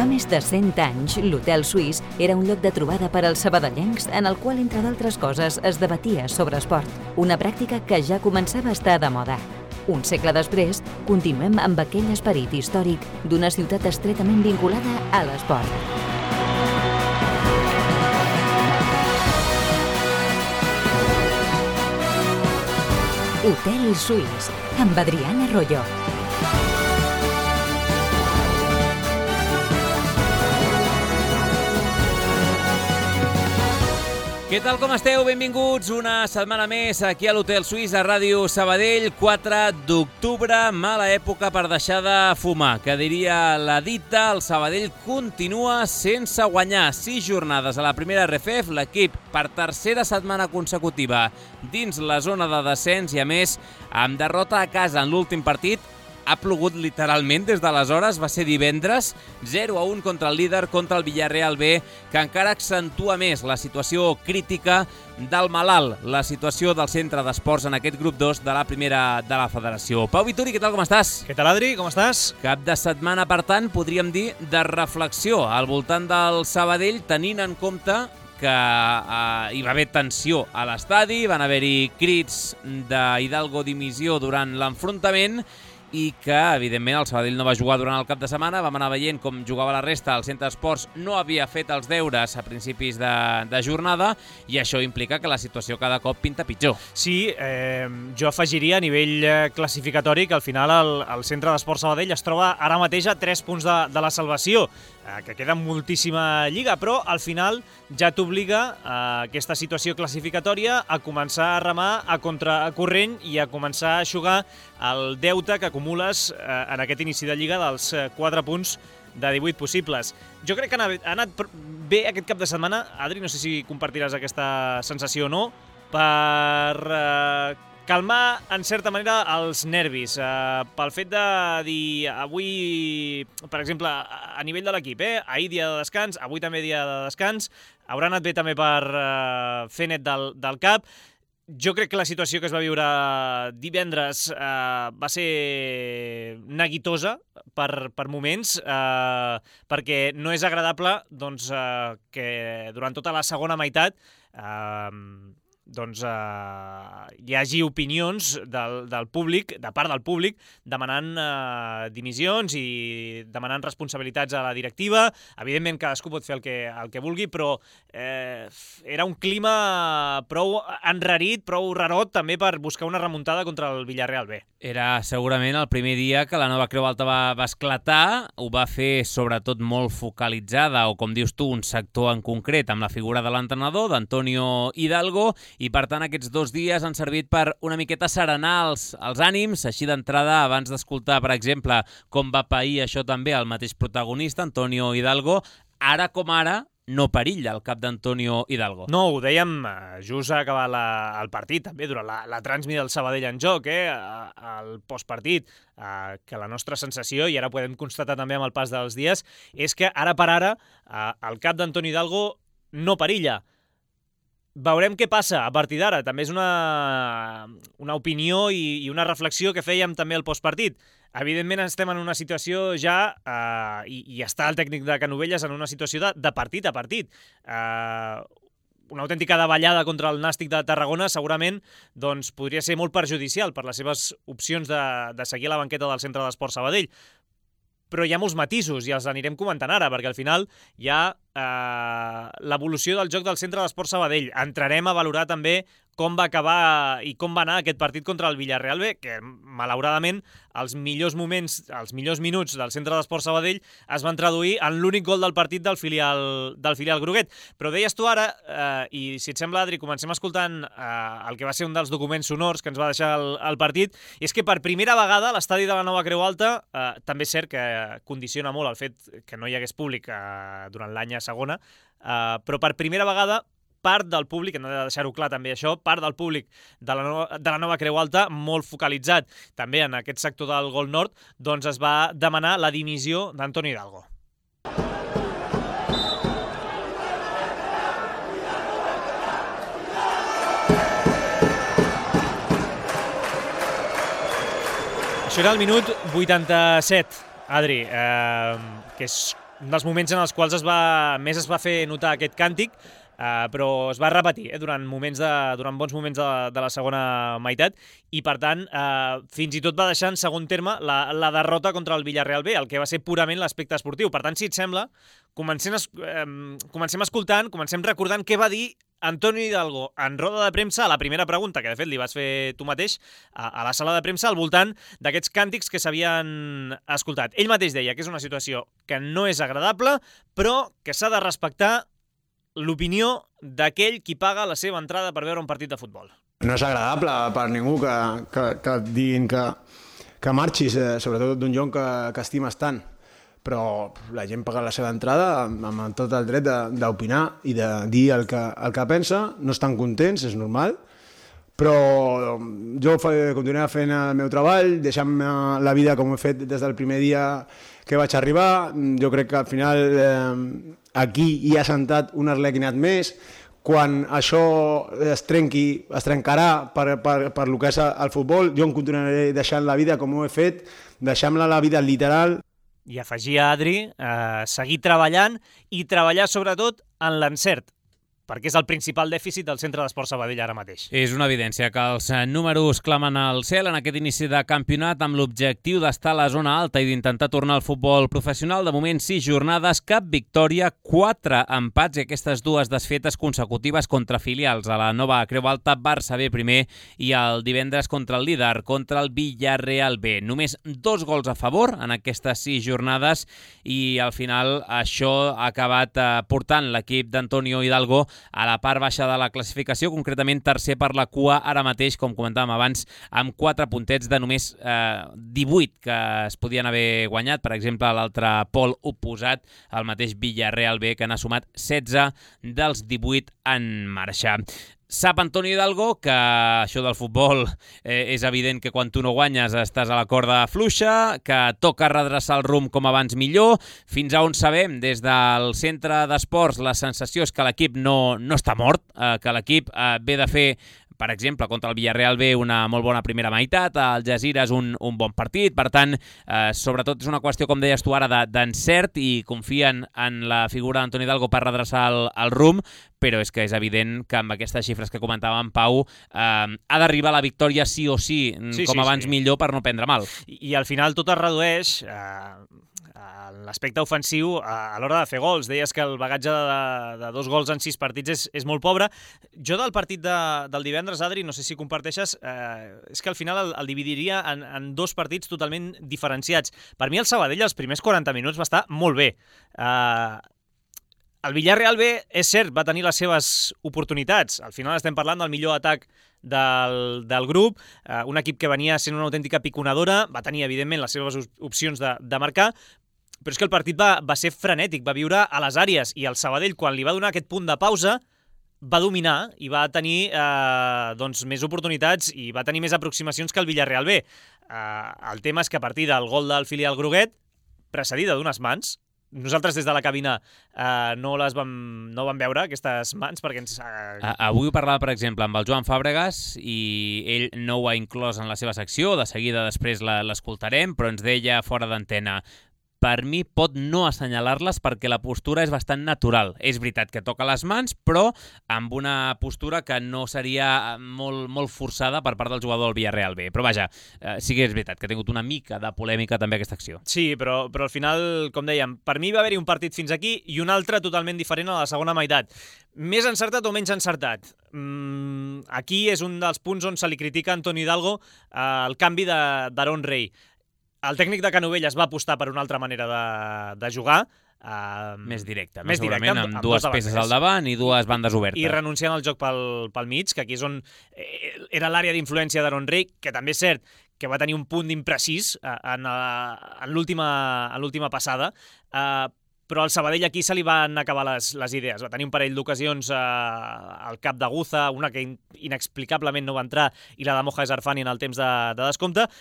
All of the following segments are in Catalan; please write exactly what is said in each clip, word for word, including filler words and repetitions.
més de cent anys, l'Hotel Suís era un lloc de trobada per als sabadellencs en el qual, entre d'altres coses, es debatia sobre esport, una pràctica que ja començava a estar de moda. Un segle després, continuem amb aquell esperit històric d'una ciutat estretament vinculada a l'esport. Hotel Suís, amb Adriana Royo. Què tal, com esteu? Benvinguts una setmana més aquí a l'Hotel Suís, a Ràdio Sabadell, quatre d'octubre, mala època per deixar de fumar. Que diria la dita, el Sabadell continua sense guanyar. Sis jornades a la primera R F F, l'equip per tercera setmana consecutiva dins la zona de descens i, a més, amb derrota a casa en l'últim partit. Ha plogut literalment des d'aleshores, va ser divendres, zero a un contra el líder, contra el Villarreal B, que encara accentua més la situació crítica del malalt, la situació del centre d'esports en aquest grup dos de la primera de la federació. Pau Vituri, què tal, com estàs? Què tal, Adri, com estàs? Cap de setmana, per tant, podríem dir de reflexió al voltant del Sabadell, tenint en compte que eh, hi va haver tensió a l'estadi, van haver-hi crits d'Hidalgo dimissió durant l'enfrontament, i que, evidentment, el Sabadell no va jugar durant el cap de setmana. Vam anar veient com jugava la resta. El centre d'esports no havia fet els deures a principis de, de jornada i això implica que la situació cada cop pinta pitjor. Sí, eh, jo afegiria a nivell classificatori que al final el, el centre d'esports Sabadell es troba ara mateix a tres punts de, de la salvació, eh, que queda moltíssima lliga, però al final ja t'obliga eh, aquesta situació classificatòria a començar a remar a contracorrent i a començar a eixugar el deute que acumules eh, en aquest inici de lliga dels quatre punts de divuit possibles. Jo crec que ha anat, ha anat bé aquest cap de setmana. Adri, no sé si compartiràs aquesta sensació o no, per eh, calmar, en certa manera, els nervis. Eh, pel fet de dir, avui, per exemple, a nivell de l'equip, eh, ahir dia de descans, avui també dia de descans, haurà anat bé també per eh, fer net del, del cap. Jo crec que la situació que es va viure divendres eh, va ser neguitosa per, per moments, eh, perquè no és agradable doncs, eh, que durant tota la segona meitat eh, doncs, eh, hi hagi opinions del, del públic, de part del públic, demanant eh, dimissions i demanant responsabilitats a la directiva. Evidentment, cadascú pot fer el que, el que vulgui, però eh, era un clima prou enrarit, prou rarot, també per buscar una remuntada contra el Villarreal B. Era segurament el primer dia que la nova Creu Alta va, va esclatar. Ho va fer sobretot molt focalitzada, o com dius tu, un sector en concret, amb la figura de l'entrenador, d'Antonio Hidalgo, i per tant aquests dos dies han servit per una miqueta serenar els, els ànims. Així d'entrada, abans d'escoltar, per exemple, com va pair això també el mateix protagonista, Antonio Hidalgo, ara com ara no perilla el cap d'Antonio Hidalgo. No, ho dèiem just a acabar la, el partit, també, durant la, la transmi del Sabadell en joc, eh, el postpartit, eh, que la nostra sensació, i ara podem constatar també amb el pas dels dies, és que ara per ara eh, el cap d'Antonio Hidalgo no perilla. Veurem què passa a partir d'ara. També és una, una opinió i, i una reflexió que fèiem també al postpartit. Evidentment estem en una situació ja, eh, i, i està el tècnic de Canovelles en una situació de, de partit a partit. Eh, una autèntica davallada contra el Nàstic de Tarragona segurament doncs, podria ser molt perjudicial per les seves opcions de, de seguir a la banqueta del Centre d'Esports Sabadell. Però hi ha molts matisos i els anirem comentant ara, perquè al final hi ha eh, l'evolució del joc del Centre d'Esports Sabadell. Entrarem a valorar també com va acabar i com va anar aquest partit contra el Villarreal B, que malauradament els millors moments, els millors minuts del Centre d'Esports Sabadell es van traduir en l'únic gol del partit del filial, del filial groguet. Però deies tu ara, eh, i si et sembla, Adri, comencem escoltant eh, el que va ser un dels documents sonors que ens va deixar el, el partit, és que per primera vegada l'estadi de la nova Creu Alta, eh, també és cert que condiciona molt el fet que no hi hagués públic eh, durant l'any a segona, eh, però per primera vegada part del públic, hem de deixar-ho clar també això, part del públic de la, nova, de la nova Creu Alta, molt focalitzat també en aquest sector del Gol Nord, doncs es va demanar la dimissió d'Antonio Hidalgo. Això era el minut vuitanta-set, Adri, eh, que és un dels moments en els quals es va, més es va fer notar aquest càntic, Uh, però es va repetir eh, durant, moments de, durant bons moments de, de la segona meitat i, per tant, uh, fins i tot va deixar en segon terme la, la derrota contra el Villarreal B, el que va ser purament l'aspecte esportiu. Per tant, si et sembla, comencem, um, comencem escoltant, comencem recordant què va dir Antonio Hidalgo en roda de premsa a la primera pregunta, que de fet li vas fer tu mateix a, a la sala de premsa al voltant d'aquests càntics que s'havien escoltat. Ell mateix deia que és una situació que no és agradable, però que s'ha de respectar l'opinió d'aquell qui paga la seva entrada per veure un partit de futbol. No és agradable per ningú que, que, que et diguin que, que marxis, eh, sobretot d'un lloc que, que estimes tant. Però la gent paga la seva entrada amb, amb tot el dret d'opinar i de dir el que, el que pensa. No estan contents, és normal, però jo continuaré fent el meu treball, deixant-me la vida com he fet des del primer dia que vaig arribar. Jo crec que al final eh, aquí hi ha sentat un arlequinat més. Quan això es trenqui, es trencarà per, per, per lo que és el futbol, jo em continuaré deixant la vida com ho he fet, deixant-la la vida literal. I afegia Adri, eh, seguir treballant i treballar sobretot en l'encert, perquè és el principal dèficit del Centre d'Esport Sabadell ara mateix. És una evidència que els números clamen al cel en aquest inici de campionat amb l'objectiu d'estar a la zona alta i d'intentar tornar al futbol professional. De moment, sis jornades, cap victòria, quatre empats i aquestes dues desfetes consecutives contra filials a la nova Creu Alta, Barça B primer i el divendres contra el líder, contra el Villarreal B. Només dos gols a favor en aquestes sis jornades i al final això ha acabat eh, portant l'equip d'Antonio Hidalgo a la part baixa de la classificació, concretament tercer per la cua ara mateix, com comentàvem abans, amb quatre puntets de només eh, divuit que es podien haver guanyat. Per exemple, l'altre pol oposat, el mateix Villarreal B, que n'ha sumat setze dels divuit en marxa. Sap Antonio Hidalgo que això del futbol eh, és evident que quan tu no guanyes estàs a la corda fluixa, que toca redreçar el rumb com abans millor. Fins a on sabem, des del centre d'esports, la sensació és que l'equip no, no està mort, eh, que l'equip eh, ve de fer, per exemple, contra el Villarreal B una molt bona primera meitat, el Jazira és un, un bon partit, per tant, eh, sobretot és una qüestió, com deies tu ara, d'encert de, i confien en la figura d'Antonio Hidalgo per redreçar el, el rumb, però és que és evident que amb aquestes xifres que comentàvem, Pau, eh, ha d'arribar la victòria sí o sí, sí com sí, abans sí. millor per no prendre mal. I, i al final tot es redueix eh, a l'aspecte ofensiu a, a l'hora de fer gols. Deies que el bagatge de, de dos gols en sis partits és, és molt pobre. Jo del partit de, del divendres, Adri, no sé si comparteixes, eh, és que al final el, el dividiria en, en dos partits totalment diferenciats. Per mi el Sabadell els primers quaranta minuts va estar molt bé. Eh, El Villarreal B, és cert, va tenir les seves oportunitats. Al final estem parlant del millor atac del, del grup, eh, un equip que venia sent una autèntica piconadora, va tenir, evidentment, les seves opcions de, de marcar, però és que el partit va, va ser frenètic, va viure a les àrees, i el Sabadell, quan li va donar aquest punt de pausa, va dominar i va tenir eh, doncs, més oportunitats i va tenir més aproximacions que el Villarreal B. Eh, el tema és que a partir del gol del filial groguet, precedida d'unes mans, nosaltres des de la cabina eh, no les vam, no vam veure, aquestes mans, perquè ens... Eh... Avui ho parlava, per exemple, amb el Joan Fàbregas i ell no ho ha inclòs en la seva secció, de seguida després l'escoltarem, però ens deia fora d'antena: per mi pot no assenyalar-les perquè la postura és bastant natural. És veritat que toca les mans, però amb una postura que no seria molt, molt forçada per part del jugador del Villarreal B. Però vaja, eh, sí que és veritat que ha tingut una mica de polèmica també aquesta acció. Sí, però, però al final, com dèiem, per mi va haver-hi un partit fins aquí i un altre totalment diferent a la segona meitat. Més encertat o menys encertat? Mm, aquí és un dels punts on se li critica a Antonio Hidalgo eh, el canvi d'Aaron Rey. El tècnic de Canovelles va apostar per una altra manera de, de jugar. Uh, més directe, més segurament, directe, amb, amb dues peces al davant i dues bandes obertes. I renunciant al joc pel, pel mig, que aquí és on era l'àrea d'influència d'Aaron Rey, que també és cert que va tenir un punt d'imprecís en, en l'última passada, uh, però al Sabadell aquí se li van acabar les, les idees. Va tenir un parell d'ocasions uh, al cap de Guza, una que in, inexplicablement no va entrar, i la de Moja Zarfani en el temps de, de descompte,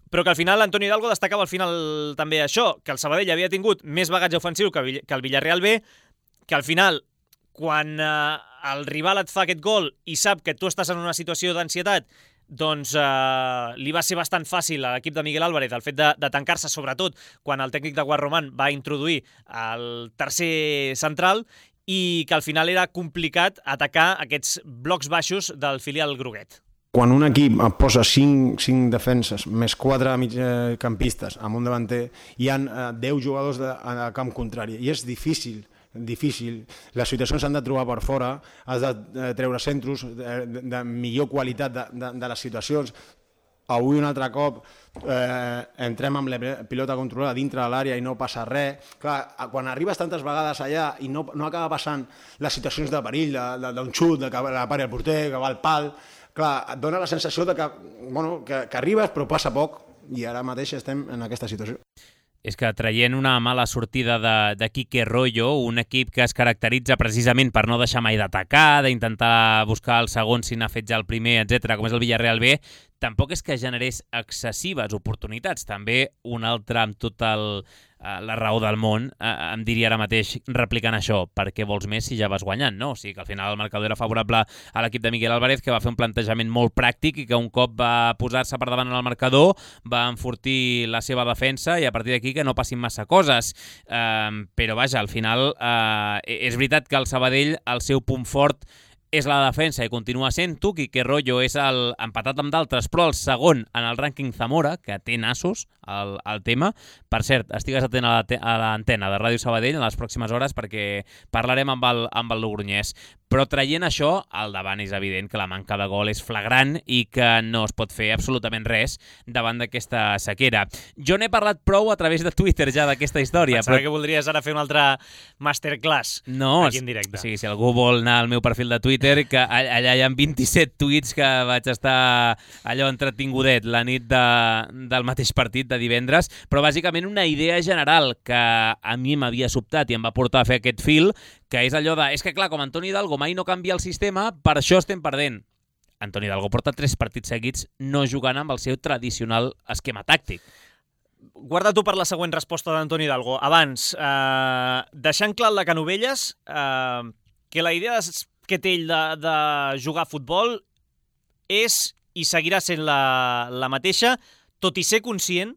però que al final Antonio Hidalgo destacava al final també això, que el Sabadell havia tingut més bagatge ofensiu que el Villarreal B, que al final, quan eh, el rival et fa aquest gol i sap que tu estàs en una situació d'ansietat, doncs eh, li va ser bastant fàcil a l'equip de Miguel Álvarez el fet de, de tancar-se, sobretot quan el tècnic de Guarromán va introduir el tercer central i que al final era complicat atacar aquests blocs baixos del filial groguet. Quan un equip posa cinc, cinc defenses més quatre migcampistes amb un davanter, hi ha eh, deu jugadors de, a camp contrari i és difícil difícil. Les situacions s'han de trobar per fora, has de treure centros de, de, de millor qualitat de, de, de les situacions. Avui un altre cop eh, entrem amb la pilota controlada dintre de l'àrea i no passa res. Clar, quan arribes tantes vegades allà i no, no acaba passant les situacions de perill, d'un xut, de que la pari el porter, que va al pal, clar, et dona la sensació de que, bueno, que, que arribes però passa poc i ara mateix estem en aquesta situació. És que traient una mala sortida de, de Quique Royo, un equip que es caracteritza precisament per no deixar mai d'atacar, d'intentar buscar el segon si n'ha fet ja el primer, etcètera, com és el Villarreal B, tampoc és que generés excessives oportunitats. També un altre amb tota el, la raó del món eh, em diria ara mateix replicant això, perquè vols més si ja vas guanyant, no? O sigui que al final el marcador era favorable a l'equip de Miguel Álvarez, que va fer un plantejament molt pràctic i que un cop va posar-se per davant en el marcador va enfortir la seva defensa i a partir d'aquí que no passin massa coses. Eh, però vaja, al final eh, és veritat que el Sabadell, el seu punt fort és la defensa i continua sent-ho. Quique Royo és el, empatat amb d'altres, però el segon en el rànquing Zamora, que té nassos al, al tema. Per cert, estigues atent a l'antena de Ràdio Sabadell en les pròximes hores perquè parlarem amb el, amb el Logroñés. Però traient això, al davant és evident que la manca de gol és flagrant i que no es pot fer absolutament res davant d'aquesta sequera. Jo n'he parlat prou a través de Twitter ja d'aquesta història. Pensava però... que voldries ara fer un altre masterclass no, aquí en directe. Sí, si algú vol anar al meu perfil de Twitter, que allà hi ha vint-i-set tuits que vaig estar allò entretingudet la nit de, del mateix partit de divendres, però bàsicament una idea general que a mi m'havia sobtat i em va portar a fer aquest fil, que és allò de, és que clar, com Antoni Hidalgo mai no canvia el sistema, per això estem perdent. Antoni Hidalgo porta tres partits seguits no jugant amb el seu tradicional esquema tàctic. Guarda tu per la següent resposta d'Antoni Hidalgo. Abans, eh, deixant clar el de Canovelles, eh, que la idea que té ell de, de jugar a futbol és i seguirà sent la, la mateixa, tot i ser conscient,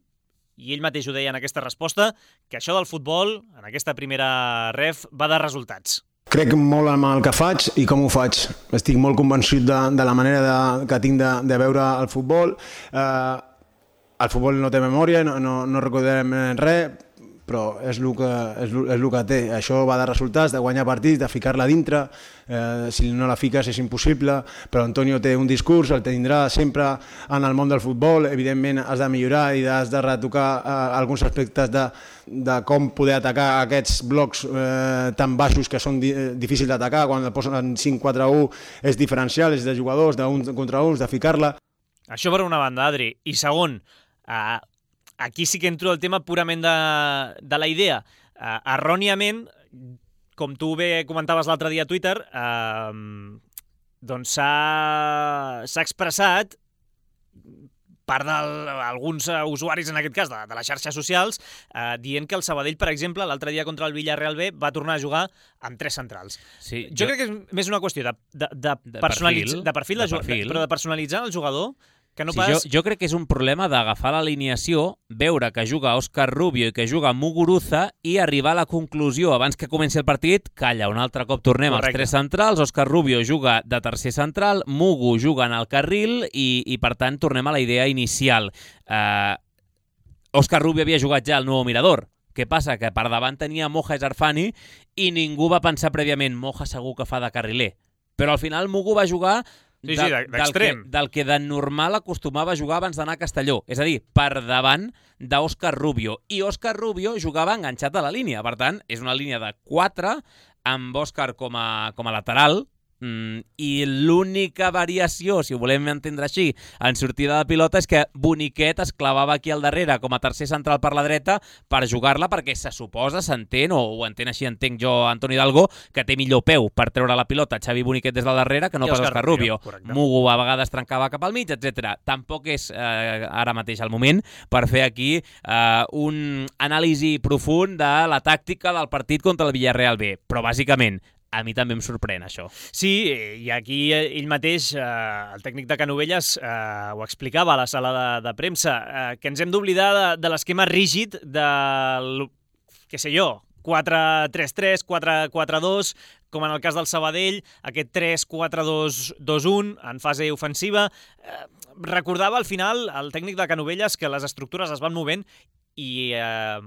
i ell mateix ho deia en aquesta resposta, que això del futbol, en aquesta primera ref, va de resultats. Crec molt en el que faig i com ho faig. Estic molt convençut de, de la manera de, que tinc de, de veure el futbol. Eh, el futbol no té memòria, no, no, no recordem res, però és el que, és, és el que té. Això va de resultats, de guanyar partits, de ficar-la dintre. Eh, si no la fiques és impossible, però Antonio té un discurs, el tindrà sempre en el món del futbol. Evidentment has de millorar i has de retocar eh, alguns aspectes de, de com poder atacar aquests blocs eh, tan baixos que són di difícils d'atacar. Quan el posen cinc quatre u és diferencial, és de jugadors, d'un contra uns, de ficar-la. Això per una banda, Adri. I segon, eh, aquí sí que entro el tema purament de, de la idea. Uh, erròniament, com tu bé comentaves l'altre dia a Twitter, uh, doncs s'ha expressat part d'alguns usuaris, en aquest cas, de, de les xarxes socials, uh, dient que el Sabadell, per exemple, l'altre dia contra el Villarreal B va tornar a jugar amb tres centrals. Sí, jo, jo crec que és més una qüestió de, de, de, de personalitzar, perfil, de perfil, de de perfil. De, però de personalitzar el jugador. Que no sí, pas... jo, jo crec que és un problema d'agafar l'alineació, veure que juga Òscar Rubio i que juga Muguruza i arribar a la conclusió abans que comenci el partit, calla, un altre cop tornem Correcte. als tres centrals, Òscar Rubio juga de tercer central, Mugu juga en el carril i, i per tant tornem a la idea inicial. Uh, Òscar Rubio havia jugat ja al Nou Mirador. Què passa? Que per davant tenia Moja Zarfani i ningú va pensar prèviament Moja segur que fa de carriler. Però al final Mugu va jugar Sí, sí, d'extrem. Del, del que de normal acostumava a jugar abans d'anar a Castelló. És a dir, per davant d'Òscar Rubio. I Òscar Rubio jugava enganxat a la línia. Per tant, és una línia de quatre amb Òscar com a, com a lateral. Mm, i l'única variació, si ho volem entendre així, en sortida de pilota és que Boniquet es clavava aquí al darrere com a tercer central per la dreta per jugar-la perquè se suposa, s'entén, o ho entén així, entenc jo, Antoni Hidalgo, que té millor peu per treure la pilota Xavi Boniquet des del darrere que no pas Òscar Rubio. Rubio. Mugu a vegades trencava cap al mig, etcètera. Tampoc és eh, ara mateix el moment per fer aquí eh, un anàlisi profund de la tàctica del partit contra el Villarreal B. Però bàsicament a mi també em sorprèn això. Sí, i aquí ell mateix, eh, el tècnic de Canovelles, eh, ho explicava a la sala de, de premsa, eh, que ens hem d'oblidar de, de l'esquema rígid del, què sé jo, quatre tres tres, quatre quatre dos, com en el cas del Sabadell, aquest tres quatre dos dos un en fase ofensiva. Eh, recordava al final el tècnic de Canovelles que les estructures es van movent i eh,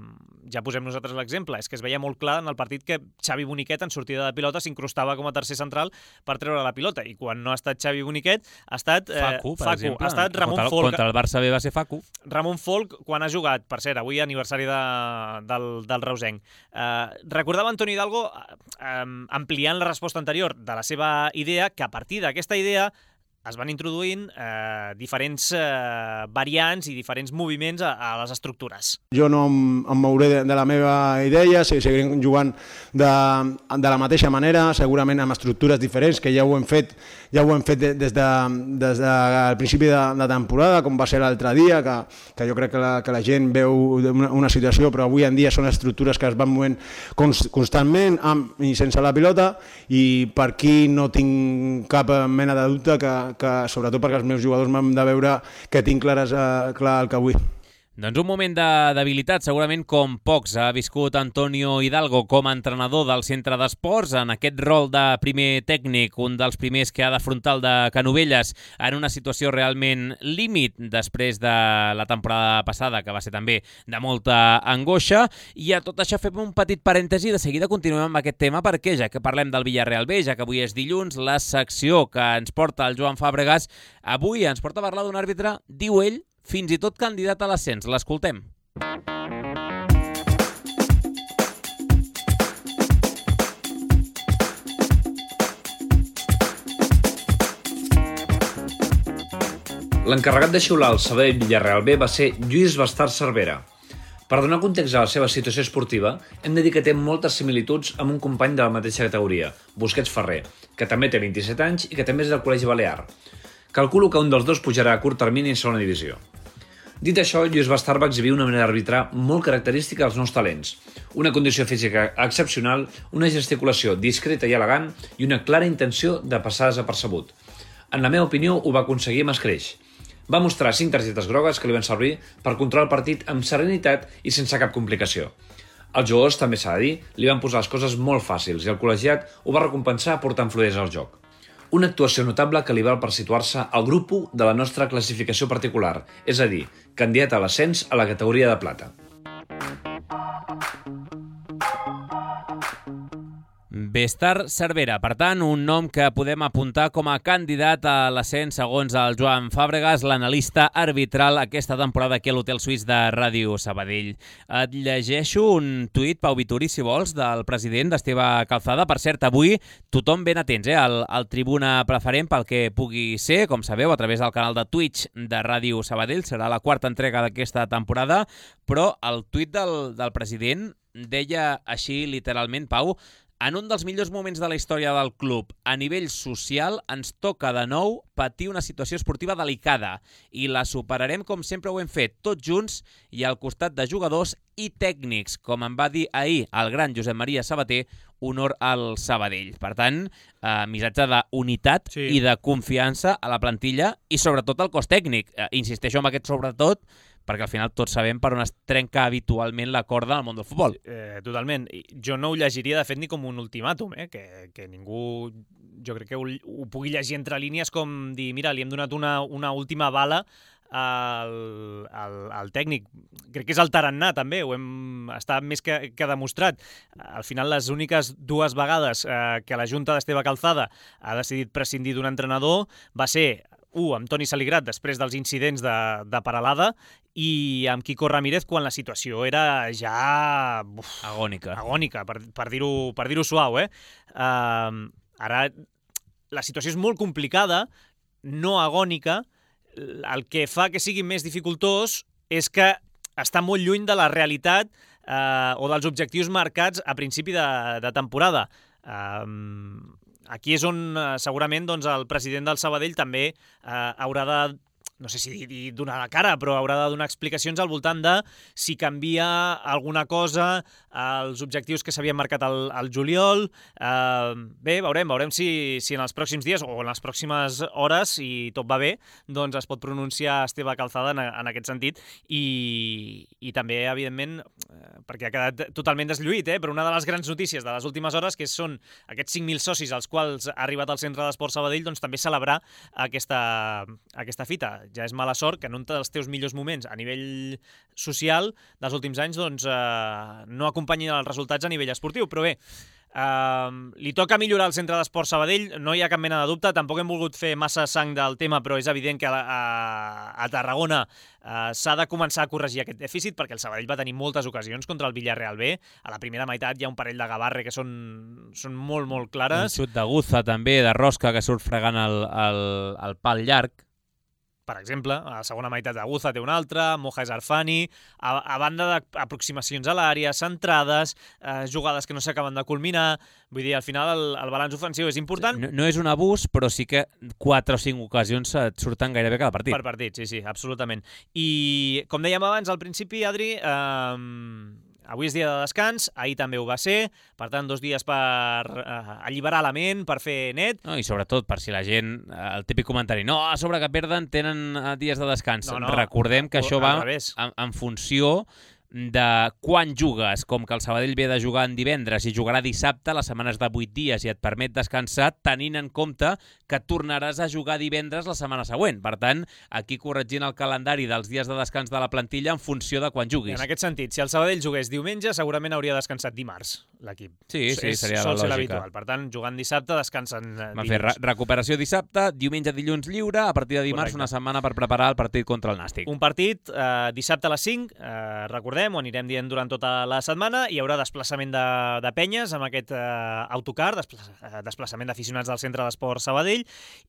ja posem nosaltres l'exemple, és que es veia molt clar en el partit que Xavi Boniquet en sortida de pilota s'incrustava com a tercer central per treure la pilota, i quan no ha estat Xavi Boniquet ha estat eh, Facu, per Facu, exemple. ha estat Ramon contra, Folk. Contra el Barça B va ser Facu. Ramon Folk, quan ha jugat, per cert, avui aniversari de, del, del Reusenc, eh, recordava Antoni Hidalgo eh, ampliant la resposta anterior de la seva idea, que a partir d'aquesta idea es van introduint eh, diferents eh, variants i diferents moviments a, a les estructures. Jo no em, em mouré de, de la meva idea, seguirem jugant de, de la mateixa manera, segurament amb estructures diferents, que ja ho hem fet, ja ho hem fet des, de, des del principi de, de temporada, com va ser l'altre dia, que, que jo crec que la, que la gent veu una, una situació, però avui en dia són estructures que es van movent const, constantment amb i sense la pilota, i per aquí no tinc cap mena de dubte que que sobretot perquè els meus jugadors m'han de veure que tinc clares, eh, clar el que vull. Doncs un moment de debilitat, segurament com pocs ha viscut Antonio Hidalgo com a entrenador del centre d'esports, en aquest rol de primer tècnic, un dels primers que ha d'afrontar el de Canovelles en una situació realment límit després de la temporada passada, que va ser també de molta angoixa. I a tot això fem un petit parèntesi, de seguida continuem amb aquest tema, perquè ja que parlem del Villarreal B, ja que avui és dilluns, la secció que ens porta el Joan Fàbregas avui ens porta a parlar d'un àrbitre, diu ell, fins i tot candidat a l'ascens. L'escoltem. L'encarregat de xiular el Sabadell Villarreal B va ser Lluís Bastard Cervera. Per donar context a la seva situació esportiva, hem de dir que té moltes similituds amb un company de la mateixa categoria, Busquets Ferrer, que també té vint-i-set anys i que també és del Col·legi Balear. Calculo que un dels dos pujarà a curt termini en segona divisió. Dit això, Lluís Bastard va exhibir una manera d'arbitrar molt característica dels nous talents, una condició física excepcional, una gesticulació discreta i elegant i una clara intenció de passar desapercebut. En la meva opinió, ho va aconseguir amb escreix. Va mostrar cinc targetes grogues que li van servir per controlar el partit amb serenitat i sense cap complicació. Els jugadors, també s'ha de dir, li van posar les coses molt fàcils i el col·legiat ho va recompensar portant fluidesa al joc. Una actuació notable que li val per situar-se al grup u de la nostra classificació particular, és a dir, candidat a l'ascens a la categoria de plata. Bastard Cervera, per tant, un nom que podem apuntar com a candidat a l'ascens segons el Joan Fàbregas, l'analista arbitral aquesta temporada aquí a l'Hotel Suís de Ràdio Sabadell. Et llegeixo un tuit, Pau Vituri, si vols, del president d'Esteve Calzada. Per cert, avui tothom ben atents, eh, al, al Tribuna Preferent pel que pugui ser, com sabeu, a través del canal de Twitch de Ràdio Sabadell. Serà la quarta entrega d'aquesta temporada, però el tuit del, del president deia així literalment, Pau: en un dels millors moments de la història del club, a nivell social, ens toca de nou patir una situació esportiva delicada i la superarem com sempre ho hem fet, tots junts i al costat de jugadors i tècnics, com em va dir ahir el gran Josep Maria Sabater, honor al Sabadell. Per tant, eh, missatge d'unitat Sí. i de confiança a la plantilla i sobretot al cos tècnic. Eh, insisteixo en aquest sobretot, perquè al final tots sabem per on es trenca habitualment la corda al món del futbol. Eh, totalment. I jo no ho llegiria, de fet, ni com un ultimàtum, eh? que, que ningú, jo crec que ho, ho pugui llegir entre línies com dir, mira, li hem donat una, una última bala al, al, al tècnic. Crec que és el tarannà, també, ho hem està més que, que demostrat. Al final, les úniques dues vegades eh, que la Junta d'Esteve Calzada ha decidit prescindir d'un entrenador va ser un, amb Toni Saligrat, després dels incidents de, de Paralada, i amb Quico Ramírez quan la situació era ja uf, Agònica. agònica, per, per dir-ho per dir-ho suau. Eh? Uh, ara la situació és molt complicada, no agònica. El que fa que sigui més dificultós és que està molt lluny de la realitat eh, o dels objectius marcats a principi de, de temporada. Eh, aquí és on eh, segurament doncs, el president del Sabadell també eh, haurà de no sé si dir donar la cara, però haurà de donar explicacions al voltant de si canvia alguna cosa als objectius que s'havien marcat al, al juliol. Eh, bé, veurem, veurem si, si en els pròxims dies o en les pròximes hores, si tot va bé, doncs es pot pronunciar Esteve Calzada en, en aquest sentit i, i també, evidentment, eh, perquè ha quedat totalment deslluït, eh, però una de les grans notícies de les últimes hores, que són aquests cinc mil socis als quals ha arribat al Centre d'Esport Sabadell, doncs també celebrar aquesta, aquesta fita. Ja és mala sort que en un dels teus millors moments a nivell social dels últims anys doncs, eh, no acompanyin els resultats a nivell esportiu. Però bé, eh, li toca millorar el Centre d'Esport Sabadell, no hi ha cap mena de dubte. Tampoc hem volgut fer massa sang del tema, però és evident que a, a, a Tarragona eh, s'ha de començar a corregir aquest dèficit, perquè el Sabadell va tenir moltes ocasions contra el Villarreal B. A la primera meitat hi ha un parell de Gavarre que són, són molt, molt clares. Un xut de Guza també, de Rosca, que surt fregant el, el, el pal llarg. Per exemple, a la segona meitat de Guza té una altra, Moja és Arfani, a, a banda d'aproximacions a l'àrea, centrades, eh, jugades que no s'acaben de culminar. Vull dir, al final el, el balanç ofensiu és important. No, no és un abús, però sí que quatre o cinc ocasions et surten gairebé cada partit. Per partit, sí, sí, absolutament. I, com dèiem abans, al principi, Adri, eh, avui és dia de descans, ahir també ho va ser, per tant, dos dies per eh, alliberar la ment, per fer net. No, i sobretot, per si la gent, el típic comentari, no, a sobre que perden, tenen dies de descans. No, no, recordem que això va en, en funció de quan jugues, com que el Sabadell ve de jugar en divendres i jugarà dissabte, les setmanes de vuit dies i et permet descansar, tenint en compte que tornaràs a jugar divendres la setmana següent. Per tant, aquí corregint el calendari dels dies de descans de la plantilla en funció de quan juguis. En aquest sentit, si el Sabadell jugués diumenge, segurament hauria descansat dimarts, l'equip. Sí, sí, és, seria la sol lògica. ser l'habitual. Per tant, jugant dissabte, descansen dilluns. Va fer re recuperació dissabte, diumenge, dilluns lliure, a partir de dimarts, correcte, una setmana per preparar el partit contra el Nàstic. Un partit eh, dissabte a les cinc, eh, recordem, ho anirem dient durant tota la setmana, hi haurà desplaçament de, de penyes amb aquest eh, autocar, desplaça, desplaçament d'aficionats del Centre d'Esport Sabadell,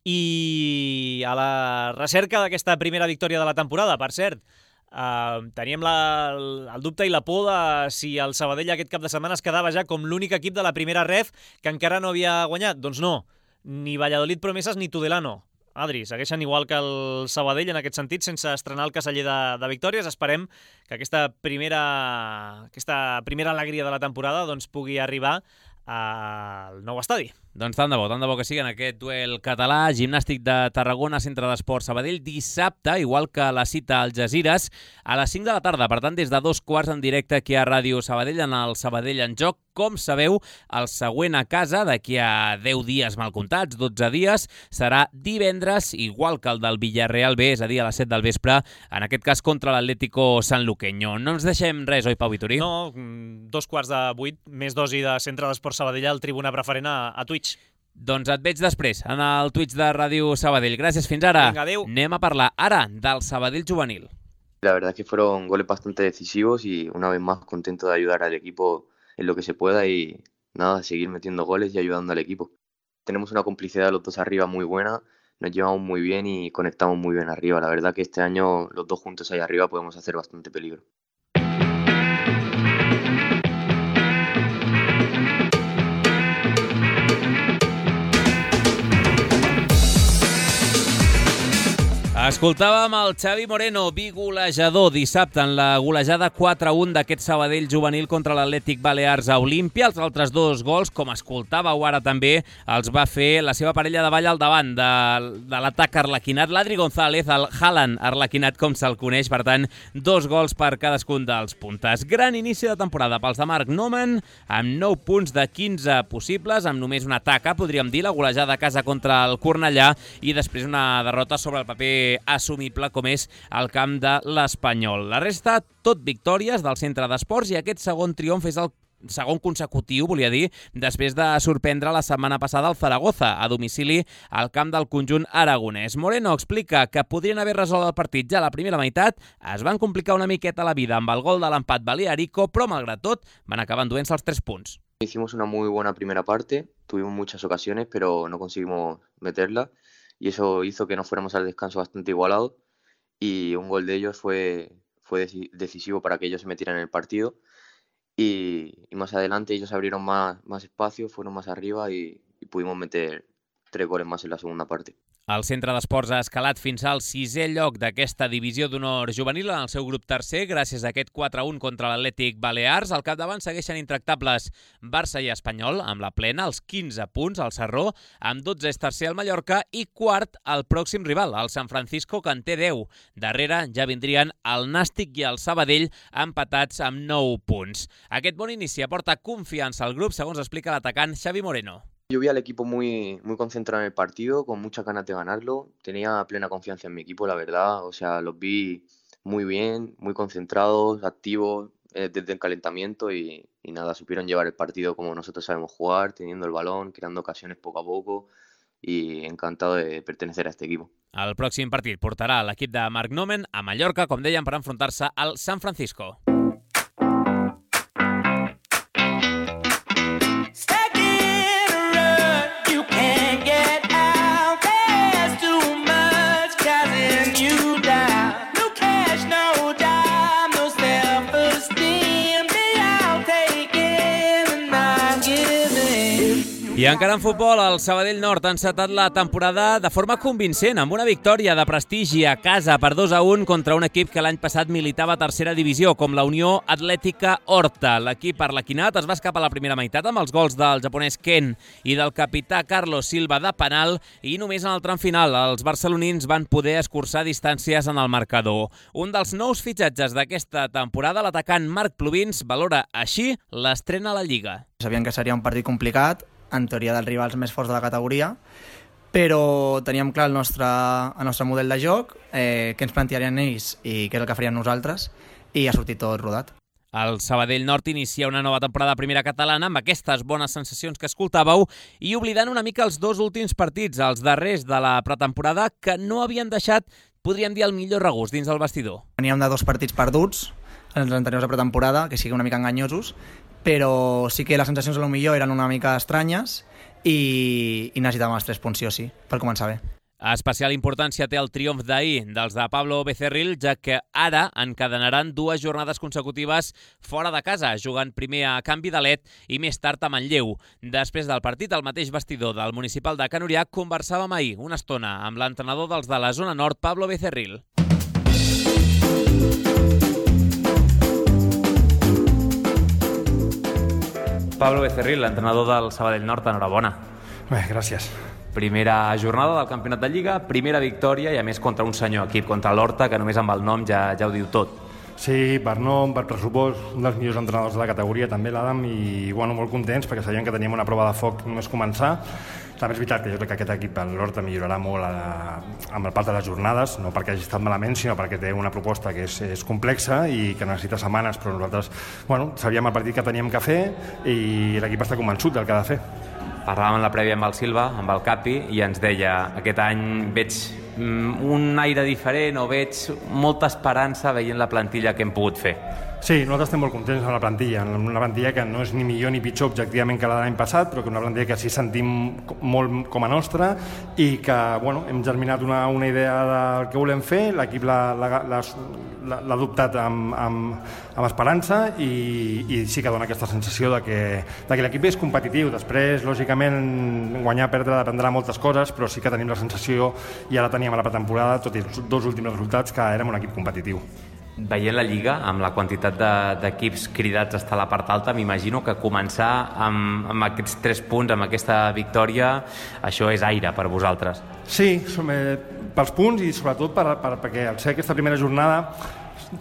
i a la recerca d'aquesta primera victòria de la temporada, per cert, eh, teníem la, el dubte i la por de si el Sabadell aquest cap de setmana es quedava ja com l'únic equip de la primera ref que encara no havia guanyat. Doncs no, ni Valladolid Promesas ni Tudelano. Adri, segueixen igual que el Sabadell en aquest sentit, sense estrenar el caseller de, de victòries. Esperem que aquesta primera, aquesta primera alegria de la temporada doncs, pugui arribar al nou estadi. Doncs tant de bo, tant de bo que sigui en aquest duel català, Gimnàstic de Tarragona, Centre d'Esport Sabadell, dissabte, igual que la cita al Algesires, a les cinc de la tarda. Per tant, des de dos quarts en directe aquí a Ràdio Sabadell, en el Sabadell en joc. Com sabeu, el següent a casa, d'aquí a deu dies mal comptats, dotze dies, serà divendres, igual que el del Villarreal B, és a dir, a les set del vespre, en aquest cas contra l'Atlético Sanluqueño. No ens deixem res, oi, Pau Vitorí? No, dos quarts de vuit, més dosi de Centre d'Esport Sabadell al Tribuna Preferent a, a Twitch. Doncs et veig després, en el Twitch de Ràdio Sabadell. Gràcies, fins ara. Vinga, adéu. Anem a parlar ara del Sabadell juvenil. La verdad es que fueron goles bastante decisivos y una vez más contento de ayudar al equipo en lo que se pueda y nada, seguir metiendo goles y ayudando al equipo. Tenemos una complicidad los dos arriba muy buena, nos llevamos muy bien y conectamos muy bien arriba. La verdad que este año los dos juntos ahí arriba podemos hacer bastante peligro. Escoltàvem el Xavi Moreno, bigolejador dissabte en la golejada quatre a un d'aquest Sabadell juvenil contra l'Atlètic Balears a Olímpia. Els altres dos gols, com escoltàveu ara també, els va fer la seva parella de ball al davant de, de l'atac arlequinat, l'Adri González, el Haaland arlequinat com se'l coneix. Per tant, dos gols per cadascun dels puntes. Gran inici de temporada pels de Marc Noman, amb nou punts de quinze possibles, amb només una taca, podríem dir, la golejada a casa contra el Cornellà, i després una derrota sobre el paper assumible com és el camp de l'Espanyol. La resta, tot victòries del Centre d'Esports, i aquest segon triomf és el segon consecutiu, volia dir, després de sorprendre la setmana passada el Zaragoza, a domicili al camp del conjunt aragonès. Moreno explica que podrien haver resolt el partit ja a la primera meitat, es van complicar una miqueta la vida amb el gol de l'empat balearico, però malgrat tot van acabar enduent-se els tres punts. Hicimos una muy buena primera parte, tuvimos muchas ocasiones, pero no conseguimos meterla. Y eso hizo que nos fuéramos al descanso bastante igualados y un gol de ellos fue, fue decisivo para que ellos se metieran en el partido y, y más adelante ellos abrieron más, más espacio, fueron más arriba y, y pudimos meter tres goles más en la segunda parte. El Centre d'Esports ha escalat fins al sisè lloc d'aquesta divisió d'honor juvenil en el seu grup tercer, gràcies a aquest quatre a un contra l'Atlètic Balears. Al capdavant segueixen intractables Barça i Espanyol, amb la plena, els quinze punts al Sarró, amb dotze és tercer el Mallorca i quart el pròxim rival, el San Francisco, que en té deu. Darrere ja vindrien el Nàstic i el Sabadell, empatats amb nou punts. Aquest bon inici aporta confiança al grup, segons explica l'atacant Xavi Moreno. Yo vi al equipo muy, muy concentrado en el partido, con muchas ganas de ganarlo. Tenía plena confianza en mi equipo, la verdad. O sea, los vi muy bien, muy concentrados, activos eh, desde el calentamiento y, y nada, supieron llevar el partido como nosotros sabemos jugar, teniendo el balón, creando ocasiones poco a poco y encantado de pertenecer a este equipo. El pròxim partit portarà l'equip de Marc Nomen a Mallorca, com deien, per enfrontar-se al San Francisco. I encara en futbol, el Sabadell Nord ha encetat la temporada de forma convincent, amb una victòria de prestigi a casa per dos a un contra un equip que l'any passat militava a tercera divisió, com la Unió Atlètica Horta. L'equip arlequinat es va escapar a la primera meitat amb els gols del japonès Ken i del capità Carlos Silva de penal, i només en el tram final els barcelonins van poder escurçar distàncies en el marcador. Un dels nous fitxatges d'aquesta temporada, l'atacant Marc Plubins, valora així l'estrena a la Lliga. Sabíem que seria un partit complicat, en teoria dels rivals més forts de la categoria, però teníem clar el nostre, el nostre model de joc, eh, què ens plantearien ells i què és el que farien nosaltres, i ha sortit tot rodat. El Sabadell Nord inicia una nova temporada de primera catalana amb aquestes bones sensacions que escoltàveu i oblidant una mica els dos últims partits, els darrers de la pretemporada, que no havien deixat, podríem dir, el millor regust dins del vestidor. Veníem de dos partits perduts en els anteriors de pretemporada, que sigui una mica enganyosos, però sí que les sensacions a lo millor eren una mica estranyes i, i necessitàvem els tres punts sí o sí, per començar bé. Especial importància té el triomf d'ahir dels de Pablo Becerril, ja que ara encadenaran dues jornades consecutives fora de casa, jugant primer a Canvi d'Alet i més tard a Manlleu. Després del partit, al mateix vestidor del Municipal de Can Orià, conversàvem ahir una estona amb l'entrenador dels de la zona nord, Pablo Becerril. Pablo Becerril, l'entrenador del Sabadell Nord, enhorabona. Bé, gràcies. Primera jornada del campionat de Lliga, primera victòria i a més contra un senyor equip, contra l'Horta, que només amb el nom ja, ja ho diu tot. Sí, per nom, per pressupost, un dels millors entrenadors de la categoria, també l'Adam, i bueno, molt contents perquè sabíem que teníem una prova de foc només començar. També és veritat que jo crec que aquest equip, l'Horta, millorarà molt a la, amb el pas de les jornades, no perquè hagi estat malament, sinó perquè té una proposta que és, és complexa i que necessita setmanes, però nosaltres bueno, sabíem el partit que teníem que fer i l'equip està convençut del que ha de fer. Parlàvem en la prèvia amb el Silva, amb el Capi, i ens deia, aquest any veig un aire diferent o veig molta esperança veient la plantilla que hem pogut fer. Sí, nosaltres estem molt contents amb la plantilla, una plantilla que no és ni millor ni pitjor objectivament que la de l'any passat, però que una plantilla que sí sentim molt com a nostra i que bueno, hem germinat una, una idea del que volem fer, l'equip l'ha adoptat amb, amb, amb esperança i, i sí que dona aquesta sensació de que, de que l'equip és competitiu. Després, lògicament, guanyar o perdre dependrà moltes coses, però sí que tenim la sensació, i ara teníem a la pretemporada, tot i els dos últims resultats, que érem un equip competitiu. Veient la Lliga, amb la quantitat d'equips cridats a estar a la part alta, m'imagino que començar amb, amb aquests tres punts, amb aquesta victòria, això és aire per vosaltres. Sí, som, eh, pels punts i sobretot per, per, perquè al ser aquesta primera jornada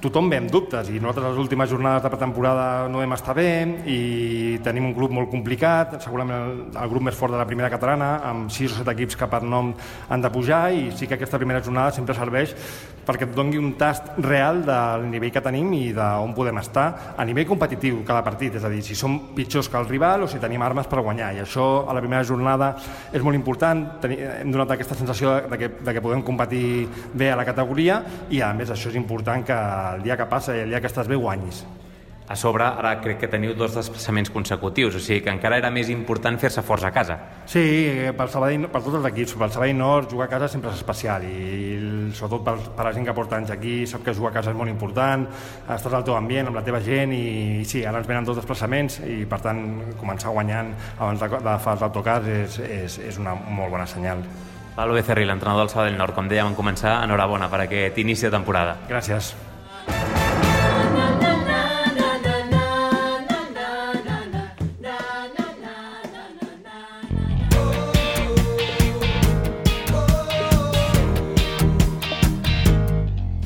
tothom ve amb dubtes i nosaltres les últimes jornades de pretemporada no vam estar bé i tenim un grup molt complicat, segurament el, el grup més fort de la primera catalana, amb sis o set equips que per nom han de pujar, i sí que aquesta primera jornada sempre serveix perquè et doni un tast real del nivell que tenim i d'on podem estar a nivell competitiu cada partit, és a dir, si som pitjors que el rival o si tenim armes per guanyar, i això a la primera jornada és molt important. Hem donat aquesta sensació de que, de que podem competir bé a la categoria i a més això és important, que el dia que passa i el dia que estàs bé guanyis. A sobre, ara crec que teniu dos desplaçaments consecutius, o sigui que encara era més important fer-se forts a casa. Sí, pel Sabadell, per tots els equips, pel Sabadell Nord jugar a casa sempre és especial i sobretot per, per la gent que porta anys aquí sap que jugar a casa és molt important, estàs al teu ambient, amb la teva gent, i sí, ara ens venen dos desplaçaments i per tant començar guanyant abans de, de fer els autocars és, és, és una molt bona senyal. Pablo Becerril, l'entrenador del Sabadell Nord, com dèiem en començar, enhorabona per aquest inici de temporada. Gràcies.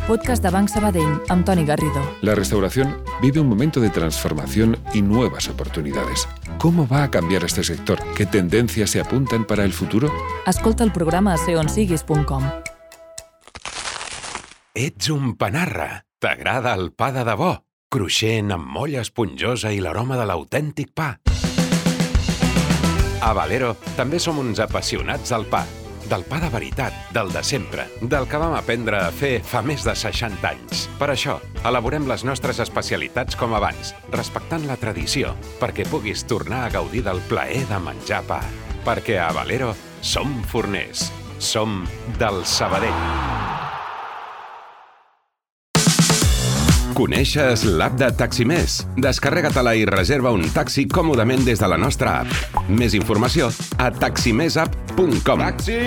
Podcast de Banc Sabadell, amb Toni Garrido. La restauración vive un momento de transformación y nuevas oportunidades. ¿Cómo va a cambiar este sector? ¿Qué tendencias se apuntan para el futuro? Escolta el programa a seonsiguis punt com. Ets un panarra. T'agrada el pa de debò? Cruixent, amb molla esponjosa i l'aroma de l'autèntic pa. A Valero també som uns apassionats del pa. Del pa de veritat, del de sempre, del que vam aprendre a fer fa més de seixanta anys. Per això, elaborem les nostres especialitats com abans, respectant la tradició, perquè puguis tornar a gaudir del plaer de menjar pa. Perquè a Valero som forners, som del Sabadell. Coneixes l'app de Taximés? Descarrega-te-la i reserva un taxi còmodament des de la nostra app. Més informació a taximesapp punt com. Taxi!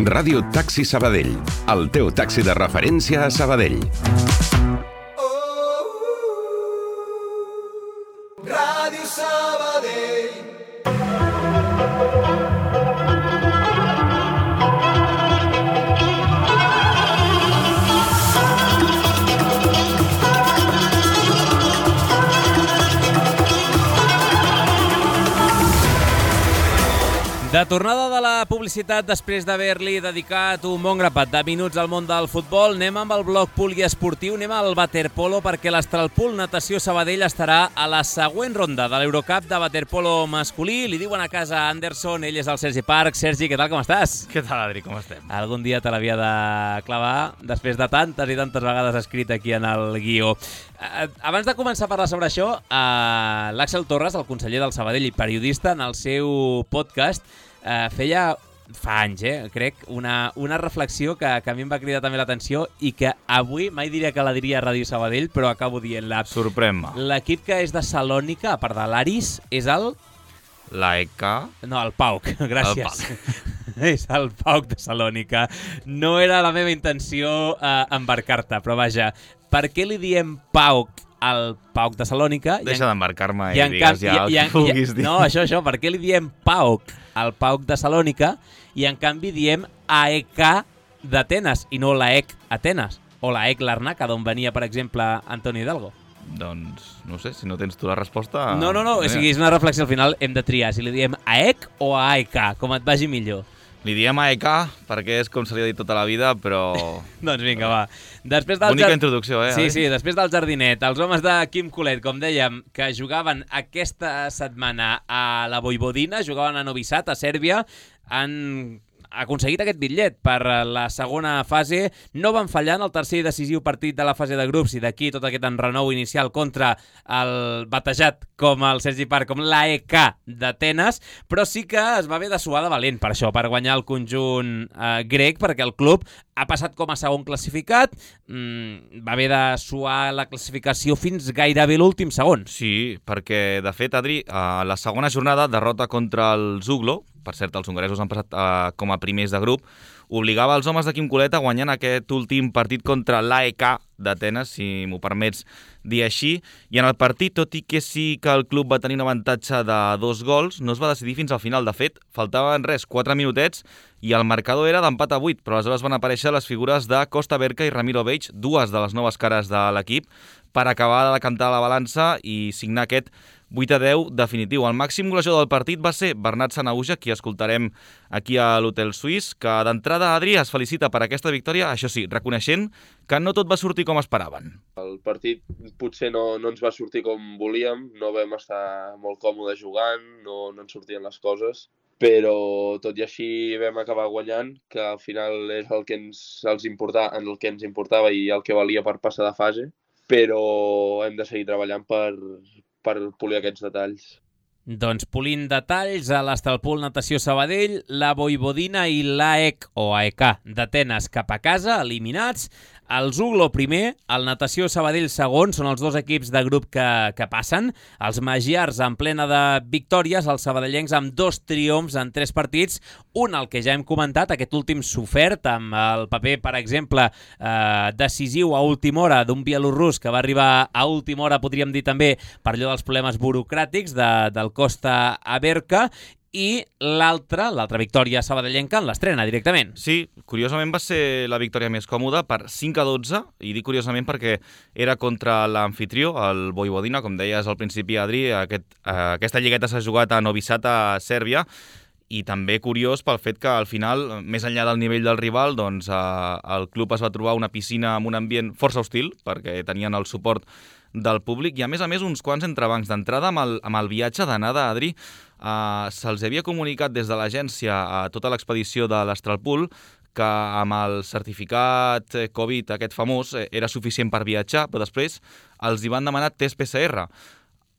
Ràdio Taxi Sabadell, el teu taxi de referència a Sabadell. Ràdio Sabadell. De tornada de la publicitat, després d'haver-li dedicat un bon grapat de minuts al món del futbol, anem amb el bloc poliesportiu, anem al waterpolo, perquè l'Astralpool Natació Sabadell estarà a la següent ronda de l'Eurocup de waterpolo masculí. Li diuen a casa Anderson, ell és el Sergi Parc. Sergi, què tal, com estàs? Què tal, Adri, com estem? Algun dia te l'havia de clavar, després de tantes i tantes vegades escrit aquí en el guió. Abans de començar a parlar sobre això, l'Àxel Torres, el conseller del Sabadell i periodista, en el seu podcast, Uh, feia fa anys, eh, crec, una, una reflexió que, que a mi em va cridar també l'atenció i que avui mai diria que la diria a Ràdio Sabadell, però acabo dient-la. Sorprèn-me. L'equip que és de Salònica, a part de l'Aris, és el... L'A E K? No, el Pauc, gràcies. El Pauc. És el Pauc de Salònica. No era la meva intenció uh, embarcar-te, però vaja, per què li diem Pauc al Pauc de Salònica? Deixa d'embarcar-me i, i digues ja el que vulguis dir. No, això, això, per què li diem Pauc al Pauc de Salònica i en canvi diem A E K d'Atenes i no l'A E C Atenes o l'A E C Larnaca, d'on venia, per exemple, Antoni Hidalgo? Doncs, no sé, si no tens tu la resposta... No, no, no, o sigui, és una reflexió, al final hem de triar si li diem A E C o A E K, com et vagi millor. Li diem A E K perquè és com se li ha dit tota la vida, però... Doncs vinga, va. Després del Bonica jar... introducció, eh? Sí, sí, després del jardinet, els homes de Quim Colet, com dèiem, que jugaven aquesta setmana a la Voivodina, jugaven a Novi Sad, a Sèrbia, han aconseguit aquest bitllet per la segona fase. No van fallar en el tercer i decisiu partit de la fase de grups i d'aquí tot aquest enrenou inicial contra el batejat com el Sergi Parc, com l'A E K d'Atenes, però sí que es va haver de suar de valent per això, per guanyar el conjunt eh, grec, perquè el club ha passat com a segon classificat, mm, va haver de suar la classificació fins gairebé l'últim segon. Sí, perquè, de fet, Adri, a la segona jornada, derrota contra el Zuglo, per cert, els hongaresos han passat uh, com a primers de grup, obligava els homes de Quim Colet a guanyar aquest últim partit contra l'A E K d'Atenes, si m'ho permets dir així, i en el partit, tot i que sí que el club va tenir un avantatge de dos gols, no es va decidir fins al final. De fet, faltaven res, quatre minutets, i el marcador era d'empat a vuit, però aleshores van aparèixer les figures de Costa Berca i Ramiro Beig, dues de les noves cares de l'equip, per acabar de decantar la balança i signar aquest vuit a deu definitiu. El màxim golejador del partit va ser Bernat Sanahuja, qui escoltarem aquí a l'Hotel Suís, que d'entrada, Adri, es felicita per aquesta victòria, això sí, reconeixent que no tot va sortir com esperaven. El partit potser no, no ens va sortir com volíem, no vam estar molt còmodes jugant, no, no ens sortien les coses, però tot i així vam acabar guanyant, que al final és el que ens, els importava, el que ens importava i el que valia per passar de fase, però hem de seguir treballant per, per polir aquests detalls. Doncs polint detalls a l'Astralpool Natació Sabadell, la Voivodina i l'A E C o A E K d'Atenes cap a casa, eliminats. el Zuglo primer, el Natació Sabadell segon, són els dos equips de grup que, que passen. Els magiars en plena de victòries, els sabadellencs amb dos triomfs en tres partits, un el que ja hem comentat, aquest últim sofert, amb el paper, per exemple, eh, decisiu a última hora d'un bielorrus que va arribar a última hora, podríem dir també, per allò dels problemes burocràtics de, del Costa Aberca, i l'altra, l'altra victòria sabadellenca en l'estrena directament. Sí, curiosament va ser la victòria més còmoda per cinc a dotze, i dic curiosament perquè era contra l'amfitrió, el Vojvodina, com deies al principi, Adri, aquest, eh, aquesta lligueta s'ha jugat a Novi Sad, a Sèrbia, i també curiós pel fet que al final, més enllà del nivell del rival, doncs eh, el club es va trobar una piscina amb un ambient força hostil, perquè tenien el suport del públic, i a més a més uns quants entrebancs. D'entrada, amb el, amb el viatge d'anada, Adri, eh, se'ls havia comunicat des de l'agència a tota l'expedició de l'Astralpool que amb el certificat Covid, aquest famós, era suficient per viatjar, però després els hi van demanar test P C R.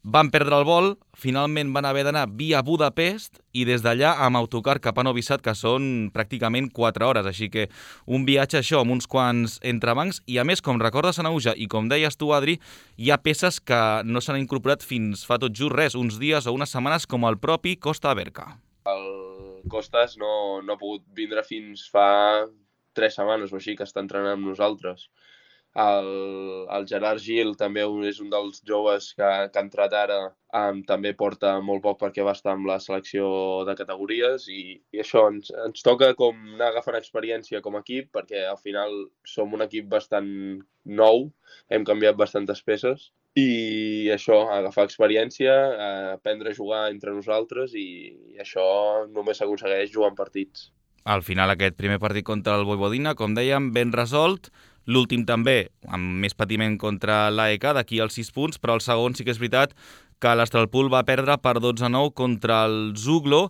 Van perdre el vol, finalment van haver d'anar via Budapest i des d'allà amb autocar cap a Novi Sad, que són pràcticament quatre hores. Així que un viatge això amb uns quants entrebancs, i a més, com recordes, Anauja, i com deies tu, Adri, hi ha peces que no s'han incorporat fins fa tot just res, uns dies o unes setmanes, com el propi Costa Aberca. El Costas no, no ha pogut vindre fins fa tres setmanes o així que està entrenant amb nosaltres. El, el Gerard Gil també és un dels joves que, que ha entrat ara, um, també porta molt poc perquè va estar amb la selecció de categories, i, i això ens, ens toca com anar agafant experiència com a equip, perquè al final som un equip bastant nou, hem canviat bastantes peces, i això, agafar experiència, aprendre a jugar entre nosaltres, i, i això només s'aconsegueix jugant partits. Al final aquest primer partit contra el Vojvodina, com dèiem, ben resolt. L'últim també, amb més patiment contra l'A E K, d'aquí als sis punts, però el segon sí que és veritat que l'Astralpool va perdre per dotze a nou contra el Zuglo.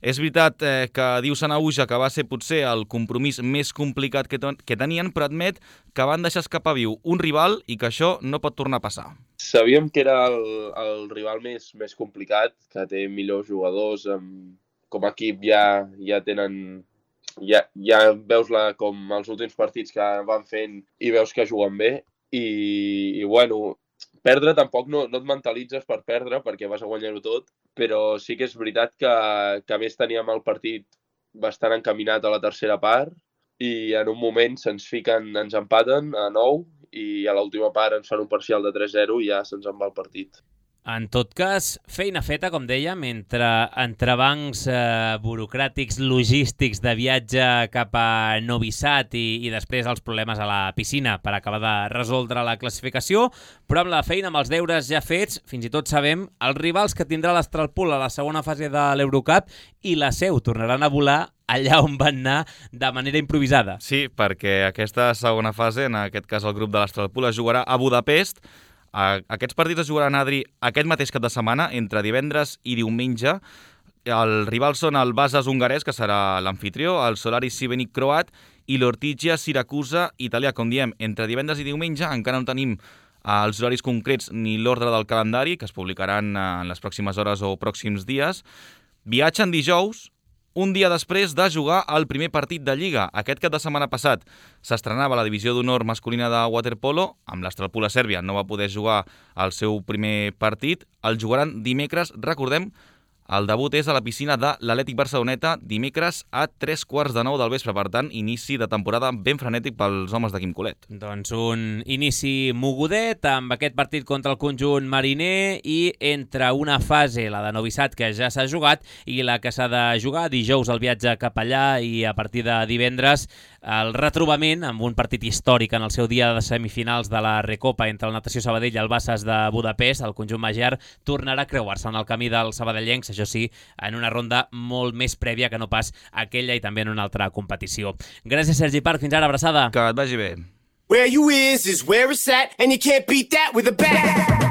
És veritat eh, que diu Sanauja que va ser potser el compromís més complicat que, que tenien, però admet que van deixar escapar viu un rival i que això no pot tornar a passar. Sabíem que era el, el rival més, més complicat, que té millors jugadors, amb, com a equip ja, ja tenen... Ja, ja veus la, com els últims partits que van fent i veus que juguen bé, i, i bueno, perdre tampoc no, no et mentalitzes per perdre perquè vas a guanyar-ho tot, però sí que és veritat que, que a més teníem el partit bastant encaminat a la tercera part i en un moment se'ns fiquen, ens empaten a nou i a l'última part ens fan un parcial de tres zero i ja se'ns en va el partit. En tot cas, feina feta, com dèiem, entre entrebancs eh, burocràtics, logístics de viatge cap a Novi Sad i, i després els problemes a la piscina per acabar de resoldre la classificació, però amb la feina, amb els deures ja fets, fins i tot sabem els rivals que tindrà l'Astralpool a la segona fase de l'Eurocup, i la Seu tornaran a volar allà on van anar de manera improvisada. Sí, perquè aquesta segona fase, en aquest cas el grup de l'Astralpool, es jugarà a Budapest. Aquests partits es jugaran, Adri, aquest mateix cap de setmana, entre divendres i diumenge. Els rivals són el Vasas hongarès, que serà l'amfitrió, el Solaris Šibenik croat i l'Ortigia Siracusa italià. Com diem, entre divendres i diumenge encara no tenim els horaris concrets ni l'ordre del calendari, que es publicaran en les pròximes hores o pròxims dies. Viatgen dijous, un dia després de jugar el primer partit de Lliga. Aquest cap de setmana passat s'estrenava la divisió d'honor masculina de waterpolo, amb l'Astralpool a Sèrbia no va poder jugar el seu primer partit. El jugaran dimecres, recordem, el debut és a la piscina de l'Atlètic Barceloneta dimecres a tres quarts de nou del vespre. Per tant, inici de temporada ben frenètic pels homes de Quim Colet. Doncs un inici mogudet amb aquest partit contra el conjunt mariner i entre una fase, la de Novi Sad, que ja s'ha jugat, i la que s'ha de jugar dijous el viatge cap allà i a partir de divendres el retrobament amb un partit històric en el seu dia de semifinals de la Recopa entre el Natació Sabadell i el Vasas de Budapest. El conjunt magiar tornarà a creuar-se en el camí dels sabadellencs, això sí, en una ronda molt més prèvia que no pas aquella i també en una altra competició. Gràcies, Sergi Parc. Fins ara, abraçada. Que et vagi bé. Where you is is where it's at, and you can't beat that with a bat.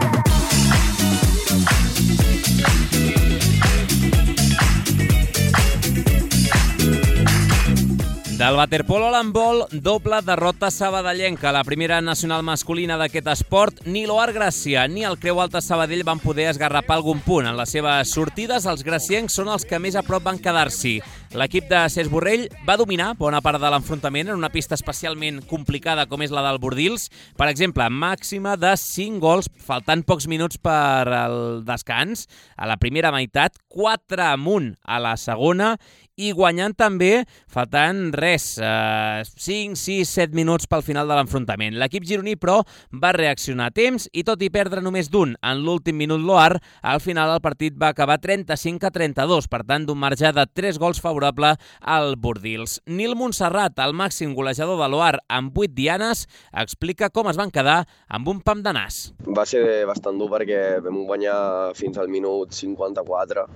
Del waterpolo a l'handbol, doble derrota sabadellenca. La primera nacional masculina d'aquest esport, ni l'Oar Gràcia ni el Creu Alta Sabadell van poder esgarrapar algun punt. En les seves sortides, els graciencs són els que més a prop van quedar-s'hi. L'equip de Cesc Borrell va dominar bona part de l'enfrontament en una pista especialment complicada com és la del Bordils. Per exemple, màxima de cinc gols, faltant pocs minuts per al descans. A la primera meitat, quatre amunt a la segona i guanyant també, faltant res, eh, cinc, sis, set minuts pel final de l'enfrontament. L'equip gironí, però, va reaccionar a temps i tot i perdre només d'un en l'últim minut l'Oar, al final el partit va acabar trenta-cinc a trenta-dos, per tant, d'un marge de tres gols favorable al Bordils. Nil Montserrat, el màxim golejador de l'Oar amb vuit dianes, explica com es van quedar amb un pam de nas. Va ser bastant dur perquè vam guanyar fins al minut cinquanta-quatre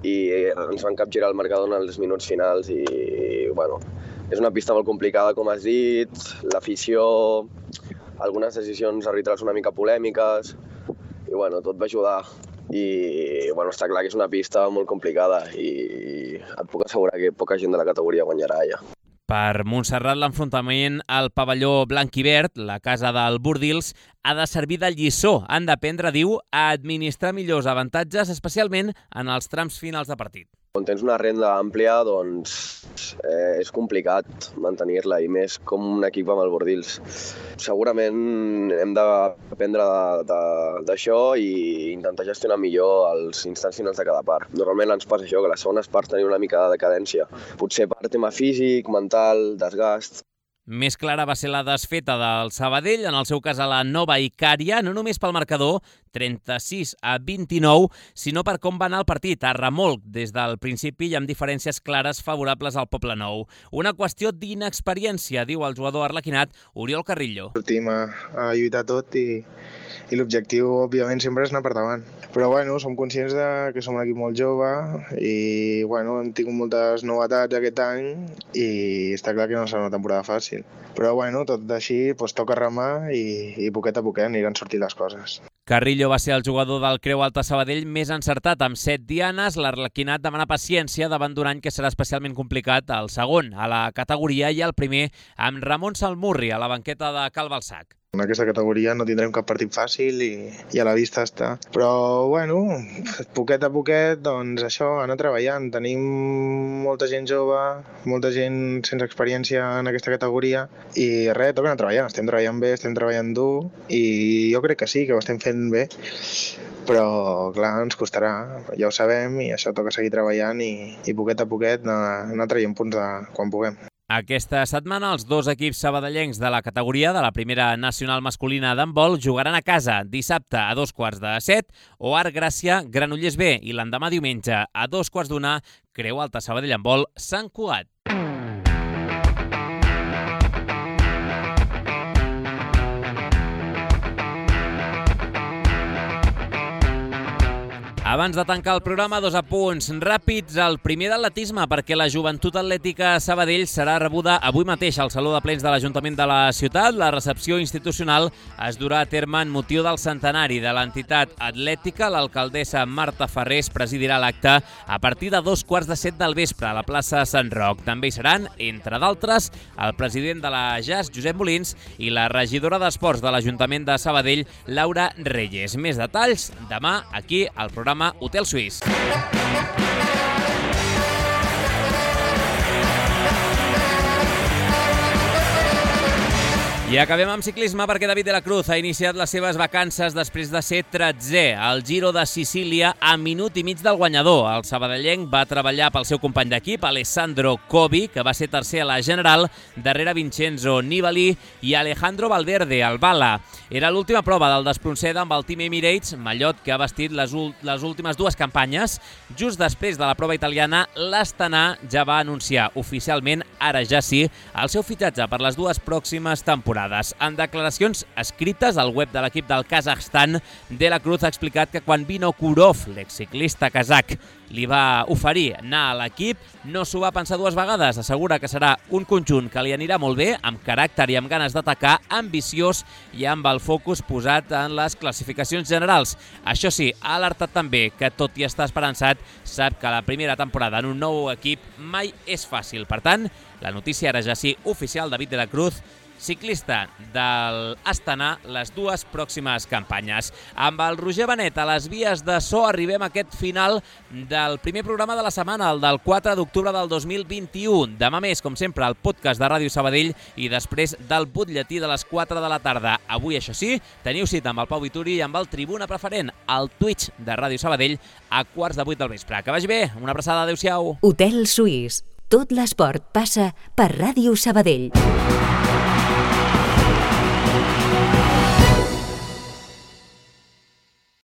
i ens van capgirar el marcador en els minuts finals i, bueno, és una pista molt complicada, com has dit, l'afició, algunes decisions arbitrals una mica polèmiques i, bueno, tot va ajudar. I, bueno, està clar que és una pista molt complicada i et puc assegurar que poca gent de la categoria guanyarà ja. Per Montserrat, l'enfrontament al pavelló blanc i verd, la casa del Bordils, ha de servir de lliçó. Han d'aprendre, diu, a administrar millors avantatges, especialment en els trams finals de partit. Quan tens una renda àmplia, doncs eh, és complicat mantenir-la, i més com un equip amb el Bordils. Segurament hem d'aprendre d'això i intentar gestionar millor els instants finals de cada part. Normalment ens passa això, que les segones parts tenen una mica de decadència. Potser per tema físic, mental, desgast. Més clara va ser la desfeta del Sabadell, en el seu cas a la Nova Icària, no només pel marcador, trenta-sis a vint-i-nou, sinó per com va anar el partit, a remolc des del principi i amb diferències clares favorables al Poblenou. Una qüestió d'inexperiència, diu el jugador arlequinat Oriol Carrillo. Sortim a, a lluitar tot i, i l'objectiu, òbviament, sempre és anar per davant. Però, bueno, som conscients de que som un equip molt jove i, bueno, hem tingut moltes novetats aquest any i està clar que no serà una temporada fàcil. Però, bueno, tot així, doncs, toca remar i, i poquet a poquet aniran sortint les coses. Carrillo va ser el jugador del Creu Alta Sabadell més encertat amb set dianes. L'Arlequinat demana paciència davant d'un any que serà especialment complicat, el segon a la categoria i el primer amb Ramon Salmurri a la banqueta de Cal Balsac. En aquesta categoria no tindrem cap partit fàcil i, i a la vista està. Però, bueno, poquet a poquet, doncs això, anar treballant. Tenim molta gent jove, molta gent sense experiència en aquesta categoria i res, toca anar treballant. Estem treballant bé, estem treballant dur i jo crec que sí, que ho estem fent bé. Però, clar, ens costarà, ja ho sabem, i això toca seguir treballant i, i poquet a poquet anar, anar traient punts de quan puguem. Aquesta setmana els dos equips sabadellencs de la categoria de la primera nacional masculina d'handbol jugaran a casa dissabte a dos quarts de set, Oar Gràcia, Granollers B, i l'endemà diumenge a dos quarts d'una, Creu Alta Sabadell Handbol, Sant Cugat. Abans de tancar el programa, dos apunts ràpids. El primer d'atletisme, perquè la Joventut Atlètica Sabadell serà rebuda avui mateix al Saló de Plens de l'Ajuntament de la ciutat. La recepció institucional es durà a terme en motiu del centenari de l'entitat atlètica. L'alcaldessa Marta Ferrés presidirà l'acte a partir de dos quarts de set del vespre a la plaça Sant Roc. També hi seran, entre d'altres, el president de la J A S, Josep Molins, i la regidora d'Esports de l'Ajuntament de Sabadell, Laura Reyes. Més detalls demà aquí al programa Hotel Suís. I acabem amb ciclisme perquè David de la Cruz ha iniciat les seves vacances després de ser tretzè al Giro de Sicília a minut i mig del guanyador. El sabadellenc va treballar pel seu company d'equip, Alessandro Covi, que va ser tercer a la general, darrere Vincenzo Nibali i Alejandro Valverde, al Bala. Era l'última prova del despronceda amb el Team Emirates, mallot que ha vestit les, les últimes dues campanyes. Just després de la prova italiana, l'Astana ja va anunciar oficialment, ara ja sí, el seu fitxatge per les dues pròximes temporades. En declaracions escrites al web de l'equip del Kazakhstan, De la Cruz ha explicat que quan Vinokurov, l'exciclista kazakh, li va oferir anar a l'equip, no s'ho va pensar dues vegades. Assegura que serà un conjunt que li anirà molt bé, amb caràcter i amb ganes d'atacar, ambiciós i amb el focus posat en les classificacions generals. Això sí, ha alertat també que, tot i estar esperançat, sap que la primera temporada en un nou equip mai és fàcil. Per tant, la notícia ara ja sí oficial, David de la Cruz ciclista del Astana, les dues pròximes campanyes. Amb el Roger Benet a les vies de so arribem a aquest final del primer programa de la setmana, el del quatre d'octubre del dos mil vint-i-u. Demà més, com sempre, el podcast de Ràdio Sabadell i després del butlletí de les quatre de la tarda. Avui, això sí, teniu cita amb el Pau Vituri i amb el Tribuna Preferent, al Twitch de Ràdio Sabadell, a quarts de vuit del vespre. Que vagi bé, una abraçada, adeu-siau. Hotel Suís. Tot l'esport passa per Ràdio Sabadell.